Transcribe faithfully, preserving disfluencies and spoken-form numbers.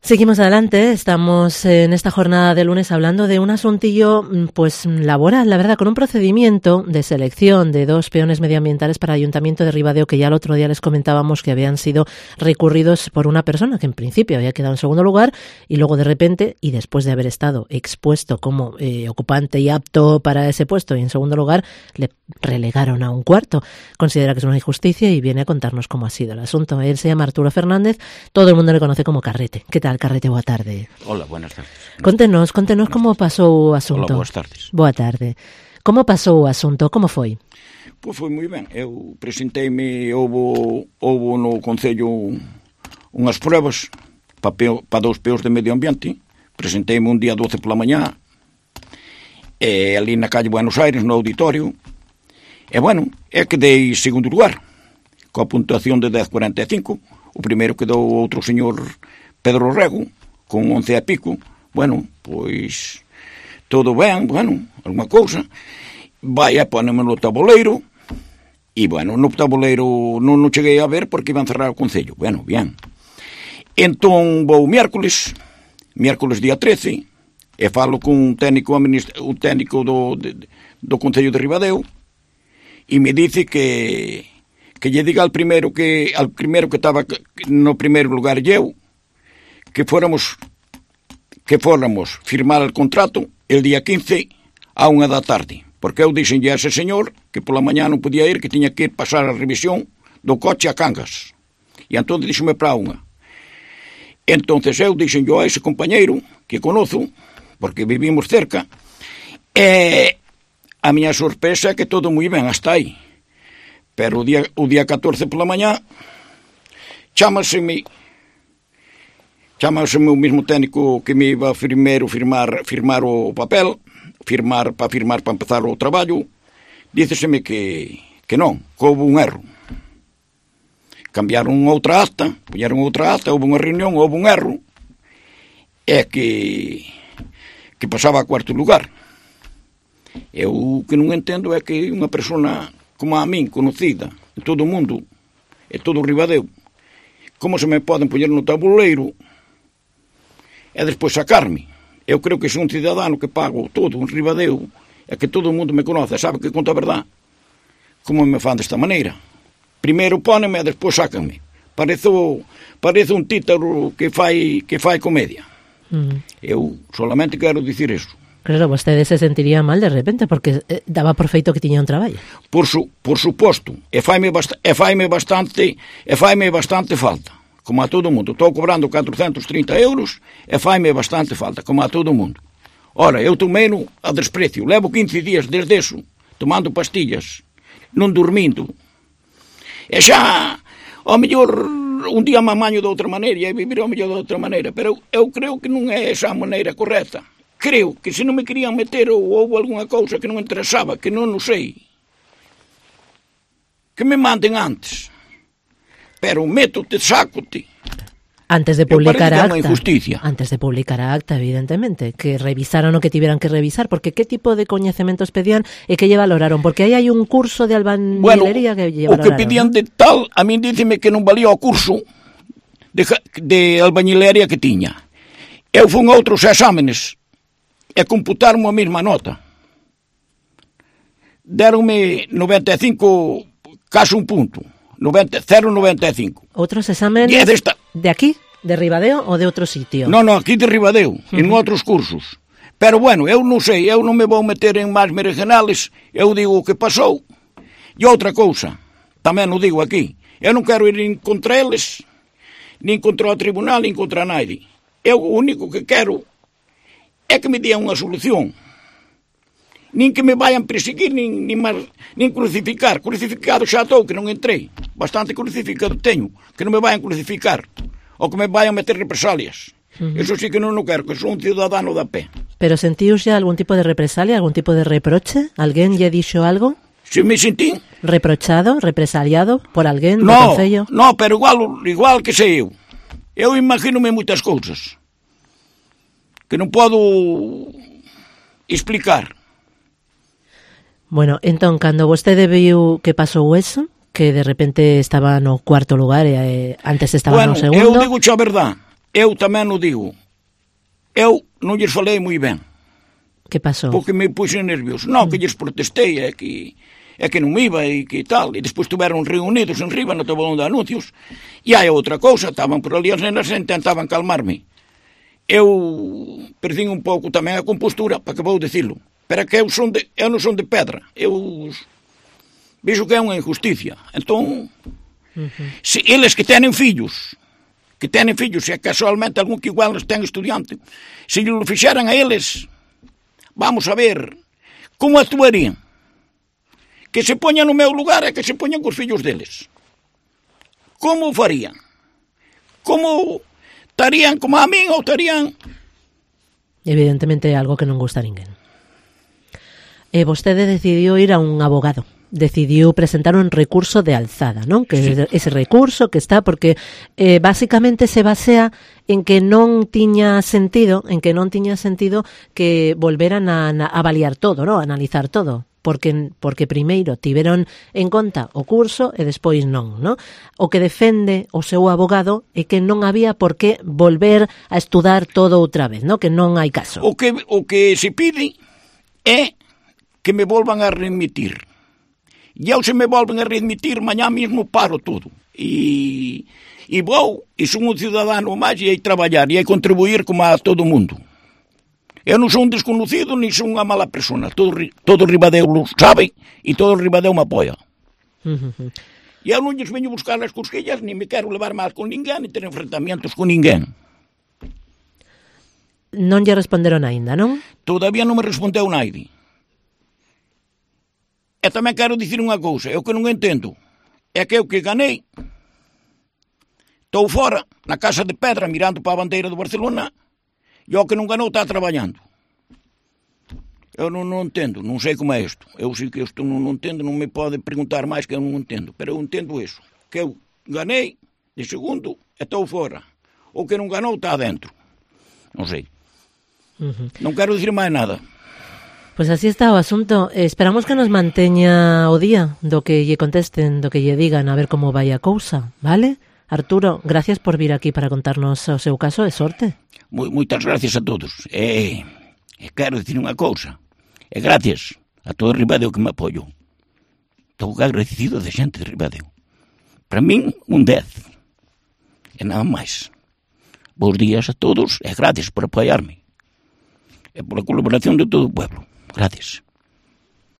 Seguimos adelante, estamos en esta jornada de lunes hablando de un asuntillo pues laboral, la verdad, con un procedimiento de selección de dos peones medioambientales para el Ayuntamiento de Ribadeo, que ya el otro día les comentábamos que habían sido recurridos por una persona que en principio había quedado en segundo lugar y luego de repente, y después de haber estado expuesto como eh, ocupante y apto para ese puesto y en segundo lugar, le relegaron a un cuarto. Considera que es una injusticia y viene a contarnos cómo ha sido el asunto. Él se llama Arturo Fernández, todo el mundo le conoce como Carrete. ¿Qué tal, Carrete? Boa tarde. Hola, buenas tardes. Contenos, contenos como pasou o asunto. Hola, boas tardes. Boa tarde. Como pasou o asunto? Como foi? Pois foi moi ben. Eu presenteime, houbo, houbo no Concello unhas pruebas para pa dous peos de medio ambiente. Presenteime un día doce pola mañá, e ali na calle Buenos Aires, no auditorio. E, bueno, é que dei segundo lugar, coa puntuación de dez cuarenta e cinco. O primeiro quedou outro señor Pedro Rego, con once e pico. Bueno, pois todo ben, bueno, alguma cousa. Vai a póneme no tabuleiro, e, bueno, no tabuleiro non o cheguei a ver porque iban cerrar o Concello. Bueno, bien. Entón vou miércoles, miércoles día trece, e falo cun técnico, un técnico do, de, do Concello de Ribadeo, e me dice que que lle diga al primeiro que al primeiro que estaba no primeiro lugar eu, que fóramos que fóramos firmar el contrato el día quince a unha da tarde, porque eu dixenlle a ese señor que pola mañá non podía ir, que tiña que ir pasar a revisión do coche a Cangas, e entón díxome para unha. Entonces eu dixenlle a ese compañeiro que conozo, porque vivimos cerca, e a miña sorpresa é que todo moi ben hasta aí, pero o día, o día catorce pola mañá chámaseme Chámaseme o mismo técnico que me iba primeiro firmar, firmar o papel, firmar para firmar para empezar o traballo, díceseme que, que non, que houve un erro. Cambiaron outra acta, puñeron outra acta, houve unha reunión, houve un erro, é que, que pasaba a cuarto lugar. Eu o que non entendo é que unha persona como a min, conocida en todo o mundo, e todo o Ribadeo, como se me poden poñer no tabuleiro e despois sacarme. Eu creo que sou un cidadano que pago todo, un Ribadeo, e que todo o mundo me conoce, sabe que conta a verdade. Como me fan desta maneira? Primeiro póneme e despois sácanme. Parece, parece un títaro que fai, que fai comedia. Mm. Eu solamente quero dicir eso. Claro, vostede se sentiría mal de repente, porque eh, daba por feito que tiña un traballo. Por, su, por suposto, e faime, bast- e faime bastante e faime bastante falta. Como a todo o mundo. Estou cobrando catrocentos e trinta euros e faime bastante falta, como a todo o mundo. Ora, eu tomei-no a desprecio. Levo quince días desde eso, tomando pastillas, non dormindo. E xa, ao mellor, un día me amaño de outra maneira e vivir ao mellor de outra maneira, pero eu creo que non é esa a maneira correcta. Creo que se non me querían meter ou houve algunha cousa que non me interesaba, que non o sei, que me manden antes. Pero métote, sácote. Antes de publicar a acta. Injusticia. Antes de publicar a acta, evidentemente, que revisaron o que tiveran que revisar, porque que tipo de coñecementos pedían e que lle valoraron, porque aí hai un curso de albañilería bueno, que lle valoraron. O que pedían, ¿no? De tal, a min díceme que non valía o curso de, de albañilería que tiña. Eu fun a outros exámenes e computaron a mesma nota. Deronme noventa e cinco, casi un punto. noventa, cero coma noventa e cinco. Outros exámenes desta... de aquí, de Ribadeo ou de outro sitio? Non, non, aquí de Ribadeo, uh-huh. En outros cursos. Pero bueno, eu non sei, eu non me vou meter en máis merengenales, eu digo o que pasou. E outra cousa, tamén o digo aquí, eu non quero ir nin contra eles, nin contra o tribunal, nin contra nadie. Eu o único que quero é que me dian unha solución. Nin que me vayan perseguir, nin, nin, mar, nin crucificar. Crucificado xa estou, que non entrei. Bastante crucificado teño. Que non me vayan crucificar. Ou que me vayan meter represalias. Uh-huh. Eso sí que non o quero, que sou un cidadano da pé. Pero sentíos xa algún tipo de represalia, algún tipo de reproche? Alguén lle dixo algo? Se me sentín. Reprochado, represaliado por alguén do no, Concello? No, pero igual, igual que sei eu. Eu imagínome moitas cousas que non podo explicar. Bueno, entón, cando vostede viu que pasou eso, que de repente estaba no cuarto lugar e eh, antes estaba bueno, no segundo... eu digo xa a verdad, eu tamén o digo, eu non lles falei moi ben. Que pasou? Porque me puxen nervioso. Non, que lles protestei, é que, é que non me iba e que tal. E despois tuveron reunidos en riba no tablón de anuncios. E hai outra cousa, estaban por ali as nenas e intentaban calmarme. Eu perdín un pouco tamén a compostura, para que vou dicilo. Pero que eu, son de, eu non son de pedra. Eu vexo que é unha injusticia. Entón, uh-huh. se eles que tenen fillos, que tenen fillos, e casualmente algún que igual ten estudiante, se lhe lo fixeran a eles, vamos a ver como actuarían. Que se poñan no meu lugar e que se poñan cos fillos deles. Como farían? Como estarían como a min ou estarían... Evidentemente é algo que non gusta a ninguén. E vostede decidiu ir a un abogado. Decidiu presentar un recurso de alzada, non? Que sí. Ese recurso que está porque eh, basicamente se basea en que non tiña sentido, en que non tiña sentido que volveran a, a avaliar todo, non? A analizar todo. Porque, porque primeiro tiveron en conta o curso e despois non, non? O que defende o seu abogado é que non había por que volver a estudar todo outra vez, non? Que non hai caso. O que, o que se pide é que me volvan a remitir. E eu se me volven a remitir, mañá mesmo paro todo. E, e vou, e son un cidadano máis e hai traballar e hai contribuir como a todo o mundo. Eu non son un desconocido, ni son unha mala persona. Todo, todo Ribadeo lo sabe e todo Ribadeo me apoia. Uh-huh. E eu non lles veño buscar as cosquillas, ni me quero levar mal con ninguén, ni ter enfrentamientos con ninguén. Non lle responderon aínda, non? Todavía non me respondeu naide. E tamén quero dicir unha cousa, eu que non entendo, é que eu que ganei, estou fora, na Casa de Pedra, mirando para a bandeira do Barcelona, e o que non ganou está traballando. Eu non, non entendo, non sei como é isto. Eu sei que isto non, non entendo, non me pode preguntar máis que eu non entendo, pero eu entendo iso, que eu ganei de segundo e estou fora. O que non ganou está adentro. Non sei. Uh-huh. Non quero dicir máis nada. Pois así está o asunto. Esperamos que nos manteña o día do que lle contesten, do que lle digan, a ver como vai a cousa, vale? Arturo, gracias por vir aquí para contarnos o seu caso e sorte. Moitas gracias a todos. E, e quero dicir unha cousa. E gracias a todo Ribadeo que me apoio. Estou agradecido de xente de Ribadeo. Para min, un dez. E nada máis. Bos días a todos e gracias por apoiarme. E pola colaboración de todo o pueblo. Gracias.